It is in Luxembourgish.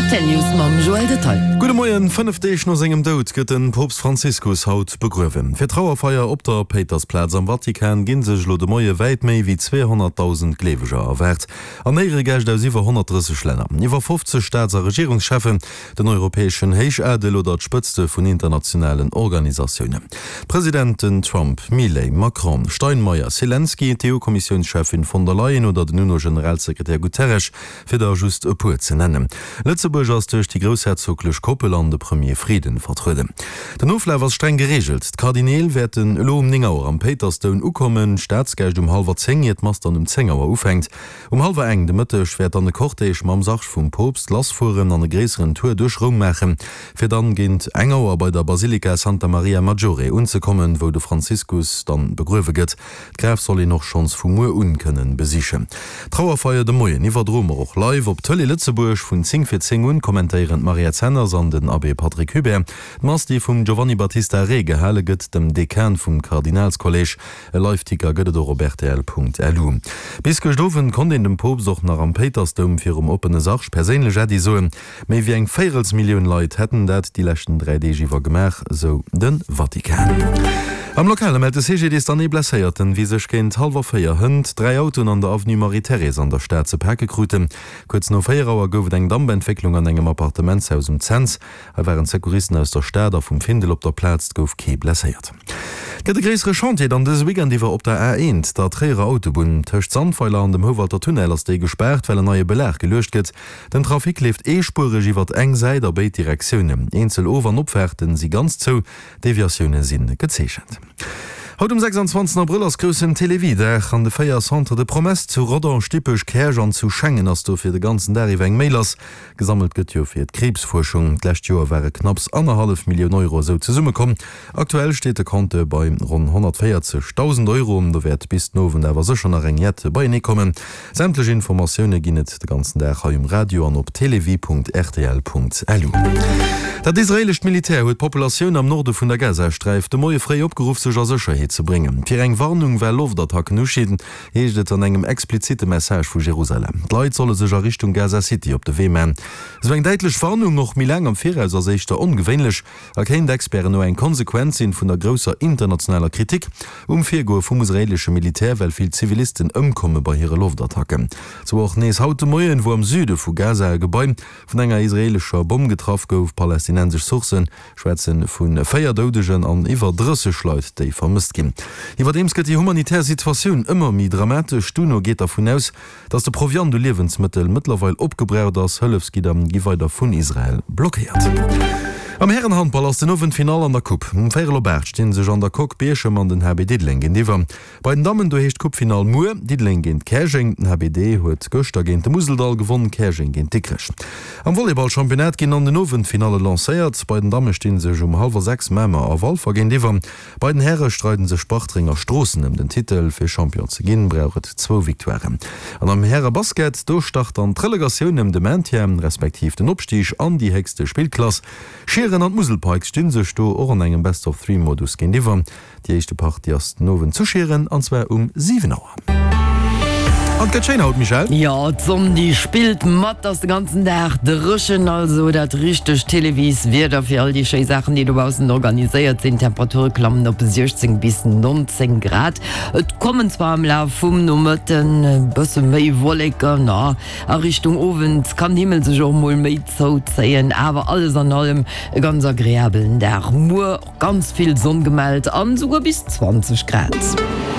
Rtl News mam Joël Detail. Gudde Moien, 5 Deeg no sengem Doud gëtt de Poopst Franziskus haut begruewen. Fir d'Trauerfeier op der Péitersplaz am Vatikan gi sech elo de Moie wäit méi wéi 200.000 Gleeweger erwaart an Éieregäscht aus iwwer 130 Länner, iwwer 50 Staats a Regierungscheffen, den europäeschen Héichadel oder d'Spëtzte vun internationalen Organisatiounen. D'Presidenten Trump, Milei, Macron, Steinmeier, Selenskyj, d'EU-Kommissiounscheffin von der Leyen oder den UNO-Generalsekretär Guterres, fir der just e puer ze nennen. Lëtzebuerg ass duerch déi groussherzoglech Koppel an de Premier Frieden vertrueden. Den Oflaf ass streng gereegelt, D'Kardineel wäerten elo um 9 Auer am Péitersdoum ukommen, d'Staatsgäscht um hallwer 10, ier d'Mass dann um 10 Auer ufänkt. Um hallwer eng de Mëtteg wäert dann e Cortège mam Sarg vum Poopst lassfueren an e gréisseren Tour duerch Roum maachen, fir dann géint eng Auer bei der Basilika Santa Maria Maggiore unzekommen, wou de Franziskus dann begruewe gëtt. D'Graf soll een och schonns vu muer un kënnen besichen. D'Trauerfeier de Moien iwwerdroe mer och live op Tëlee Lëtzebuerg. Vun 10 vir 10 un kommentéieren d'Mariette Zenners an den Abbé Patrick Hubert d'Mass, déi vum Giovanni Battista Re gehale gëtt, dem Dekan vum Kardinalskolleg. E Live-Ticker gëtt et och op rtl.lu. Bis gëscht Owend konnt een dem Poopst och nach am Péitersdoum virum oppene Sarg perséinlech Äddi soen. Méi wéi eng Véierelsmillioun Leit hätten dat déi leschten 3 Deeg iwwer gemaach, sou de Vatikan. Am Lokale mellt de CGDIS dann ee Blesséierten, wéi sech géint hallwer 4 hënt 3 Autoen an der Avenue Marie-Thérèse an der Stad ze pake kruten. Kuerz no 4 Auer gouf et eng Dampentwécklung an engem Appartementshaus um Cents. Hei waren d'Secouristen aus der Stad a vum Findel op der Plaz, et gouf kee blesséiert. Et gëtt e gréissere Chantier dann dëse Weekend iwwer op der A1, der Tréierer Autobunn. Tëscht Sandweiler an dem Houwalter Tunnel ass déi gespaart, well en neie Belag geluecht gëtt. Den Trafic leeft eespuereg iwwert eng Säit a béid Direktiounen. Eenzel Of an Opfaarten si ganz zou, Deviatioune si gezeechent. Haut um 26 Abrëll ass groussen Télévie-Dag. An de 4 Centres de promesses zu Rodange, Dippech, Käerch an zu Schengen ass dofir de ganzen Dag iwwer eng Méi lass. Gesammelt gëtt jo fir d'Kriibsfuerschung. D'lescht Joer ware knapps annerhallef Millioun Euro esou zesummekomm. Aktuell steet de Compteur bei ronn 140.000 Euro. Do wäert bis den Owend awer sécher nach eng Jett beienee kommen. Sämtlech Informatioune ginn et de ganzen Dag hei um Radio an op télévie.rtl.lu. Dat israeelescht Militär huet d'Populatioun am Norde vun der Gazasträif de Moie fréi opgeruff, sech a Sécherheet ze bréngen. Fir eng Warnung, well Loftattacken ustinn, heescht et an engem explizitte Message vu Jerusalem. D'Leit solle sech a Richtung Gaza City op de Wee man. Esou eng däitlech Warnung, och méi laang am Viraus, ass éischter ongewéinlech a kéint Experten no eng Konsequenz sinn vun der grousser internationaler Kritik um Virgoe vum israeelesche Militär, well vill Zivilisten ëmkomme bei hire Loftattacken. Sou och nees haut de Moien, wou am Süde vu Gaza e Gebai vun enger israeelescher Bomm getraff gouf. Palästinensesch Sourcë schwätze vu 4 Doudegen an iwwer 30 Leit, déi vermësst ginn. Iwwerdeems gëtt déi humanitär Situatioun ëmmer méi dramatesch. D'UNO geet dervun aus, datt de Proviant u Liewensmëttel mëttlerweil opgebraucht ass. Hëllefsgidder gi weider vun Israel blockéiert. Am Härenhandball ass den Owend d'Finall an der Coupe. Um véierel op 8 sti sech an der Coque Bierchem an den HB Diddeleng géintiwwer. Bei den Dammen, do heescht d'Coupefinall muer Diddeleng géint Käerjeng. Den HBD huet gëschter géint de Museldall gewonn, Käerjeng géint Dikrech. Am Volleyball-Championnat ginn an den Owend d'Finalle lancéiert. Bei den Damme sti sech um hallwer 6 Mamer a Walfer géintiwwer. Bei den Häre streiden sech Bartreng a Stroossen ëm den Titel. Fir Champion ze ginn, brauch et zwou Victoiren. An am Häre-Basket, do start dann d'Relegatioun ëm de Maintien, respektiv den Opstig an déi héchste Spillklass. Schieren an d'Musel Pikes sti sech do och an engem Best-of-Three-Modus géintiwwer. Déi éischte Partie ass den Owend zu Schieren an zwar um 7 Auer. An et gëtt schéin haut, Michèle? Jo, d'Sonn déi spillt mat, ass de ganzen Dag dréchen, also dat richtegt Télévieswieder fir all déi schéi Saachen déi dobaussen organiséiert sinn. D'Temperature klammen op 16 bis 19 Grad. Et kommen zwar am Laf vum Nomëtten e bësse méi Wolleken, a Richtung Owend kann den Himmel sech och mol méi zouzéien, awer alles an allem e ganz agreabelen Dag. Muer Ganz vill Sonn gemellt an souguer bis 20 Grad.